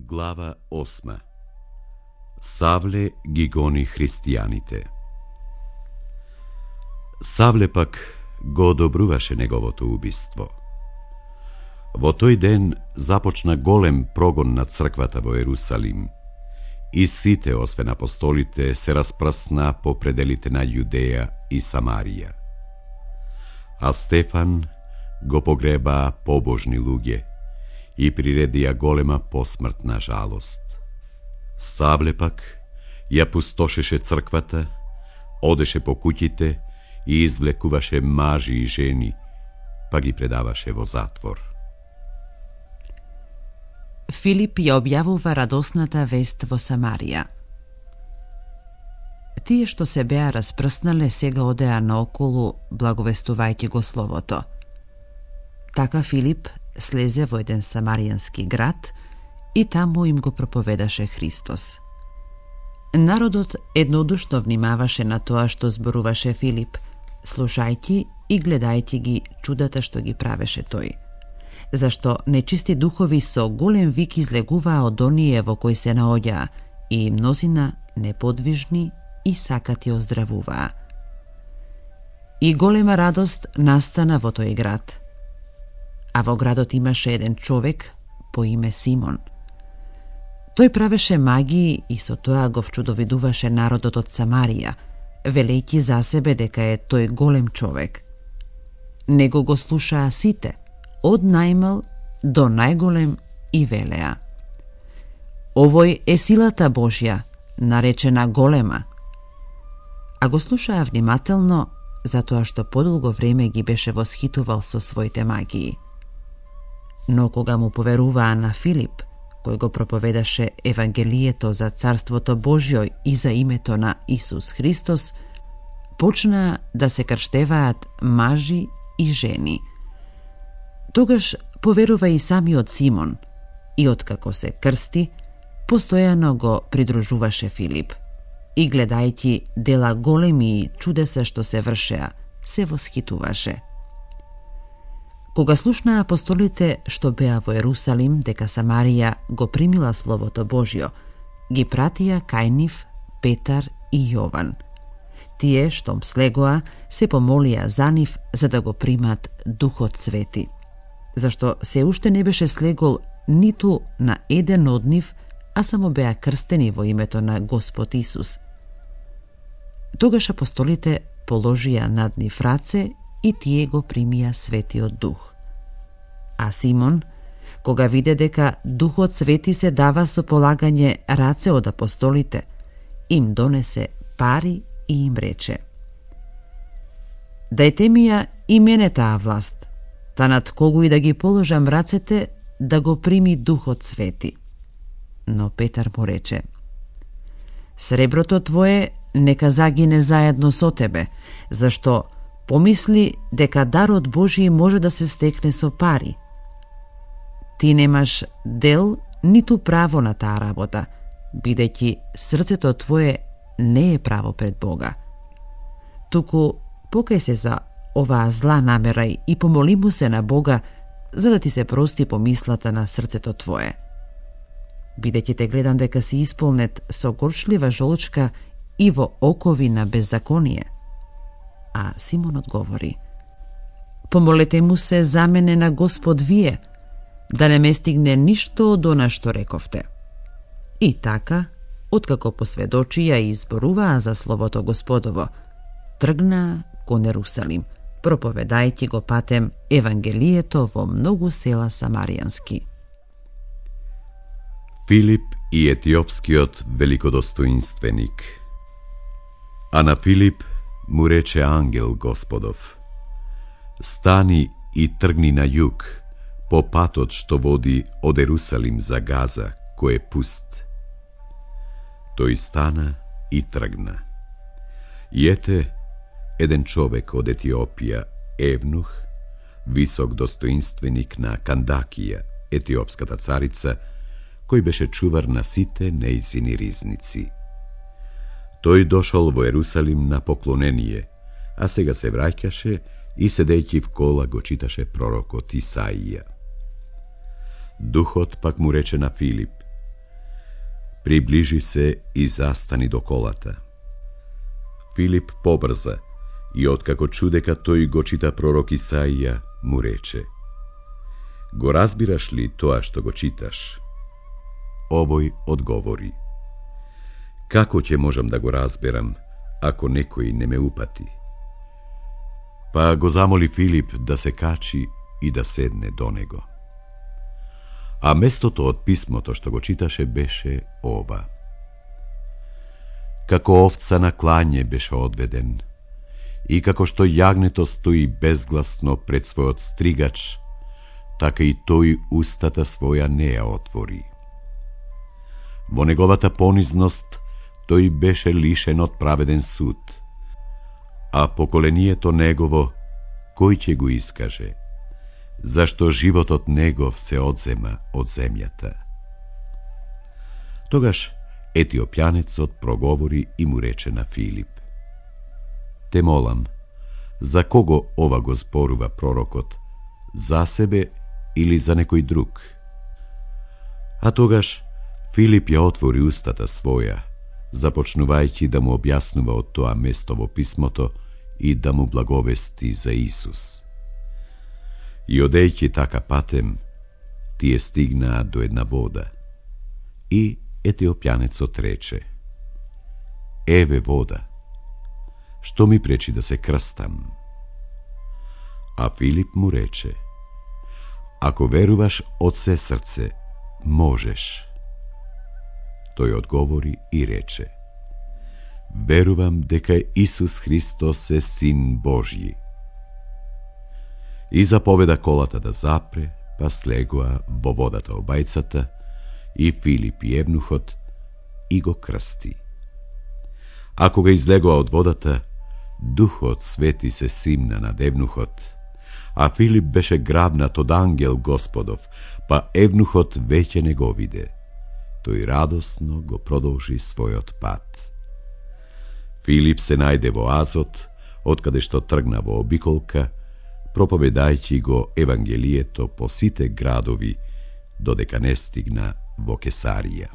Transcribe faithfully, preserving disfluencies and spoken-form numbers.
Глава осма. Савле ги гони христијаните. Савле пак го одобруваше неговото убиство. Во тој ден започна голем прогон на црквата во Ерусалим и сите, освен апостолите, се распрсна по пределите на Јудеја и Самарија. А Стефан го погреба побожни луѓе и приредија голема посмртна жалост. Савле пак ја пустошеше црквата, одеше по куќите и извлекуваше мажи и жени, па ги предаваше во затвор. Филип ја објавува радосната вест во Самарија. Тие што се беа распрснале сега одеа наоколу благовестувајќи го словото. Така Филип слезе во еден самаријански град и таму им го проповедаше Христос. Народот еднодушно внимаваше на тоа што зборуваше Филип, слушајќи и гледајќи ги чудата што ги правеше тој. Зашто нечисти духови со голем вик излегуваа од оние во кои се наоѓаа и мнозина неподвижни и сакати оздравуваа. И голема радост настана во тој град. А во градот имаше еден човек по име Симон. Тој правеше магии и со тоа го вчудовидуваше народот од Самарија, велејќи за себе дека е тој голем човек. Него го слушаа сите, од најмал до најголем, и велеа: овој е силата Божја, наречена голема. А го слушаа внимателно, затоа што подолго време ги беше восхитувал со своите магии. Но кога му поверуваа на Филип, кој го проповедаше Евангелието за Царството Божјо и за името на Исус Христос, почнаа да се крштеваат мажи и жени. Тогаш поверува и самиот Симон, и откако се крсти, постојано го придружуваше Филип. И гледајќи дела големи и чудеса што се вршеа, се восхитуваше. Кога слушнаа апостолите што беа во Ерусалим дека Самарија го примила Словото Божјо, ги пратија кај нив Петар и Јован. Тие, штом слегоа, се помолија за нив за да го примат Духот Свети, зашто се уште не беше слегол ниту на еден од нив, а само беа крстени во името на Господ Исус. Тогаш апостолите положија над нив раце и тие го примија Светиот Дух. А Симон, кога виде дека Духот Свети се дава со полагање раце од апостолите, им донесе пари и им рече: дајте ми ја и мене таа власт, та над кого и да ги положам рацете, да го прими Духот Свети. Но Петар му рече: среброто твое нека загине заедно со тебе, зашто помисли дека дарот Божји може да се стекне со пари. Ти немаш дел ниту право на таа работа, бидејќи срцето твое не е право пред Бога. Туку покај се за оваа зла намера и помоли му се на Бога, за да ти се прости помислата на срцето твое. Бидејќи те гледам дека си исполнет со горчлива жолчка и во окови на беззаконие. А Симон одговори: помолете му се за мене на Господ вие, да не ме стигне ништо од она што рековте. И така, откако посведочија и изборуваа за Словото Господово, тргнаа кон Ерусалим, проповедајќи го патем Евангелието во многу села самаријански. Филип и етиопскиот великодостоинственик. А на Филип му рече ангел Господов: стани и тргни на југ, по патот што води од Ерусалим за Газа, кој е пуст. Тој стана и тргна. И ете, еден човек од Етиопија, евнух, висок достоинственик на Кандакија, етиопската царица, кој беше чувар на сите нејзини ризници. Тој дошол во Ерусалим на поклонение, а сега се враќаше и седејќи в кола го читаше пророкот Исаија. Духот пак му рече на Филип: Приближи се и застани до колата. Филип побрза и откако чу дека тој го чита пророк Исаија, му рече: Го разбираш ли тоа што го читаш? Овој одговори: Како ќе можам да го разберам, ако некој не ме упати? Па го замоли Филип да се качи и да седне до него. А местото од писмото што го читаше беше ова: Како овца на клање беше одведен, и како што јагнето стои безгласно пред својот стригач, така и тој устата своја не ја отвори. Во неговата понизност тој беше лишен од праведен суд, а поколението негово кој ќе го искаже, зашто животот негов се одзема од земјата. Тогаш етиопјанецот проговори и му рече на Филип: Те молам, за кого ова го зборува пророкот, за себе или за некој друг? А тогаш Филип ја отвори устата своја, започнувајќи да му објаснува од тоа место во писмото и да му благовести за Исус. И одејќи така патем, тие стигнаа до една вода. И етиопјанецот рече: Еве вода, што ми пречи да се крстам? А Филип му рече: Ако веруваш од се срце, можеш. Тој одговори и рече: Верувам дека Исус Христос е Син Божји. И заповеда колата да запре, па слегоа во водата обајцата, и Филип и евнухот, и го крсти. А кога излегоа од водата, Духот Свети се симна над евнухот, а Филип беше грабнат од ангел Господов, па евнухот веќе не го виде. Тој радосно го продолжи својот пат. Филип се најде во Азот, откаде што тргна во обиколка, проповедајќи го Евангелието по сите градови, додека не стигна во Кесарија.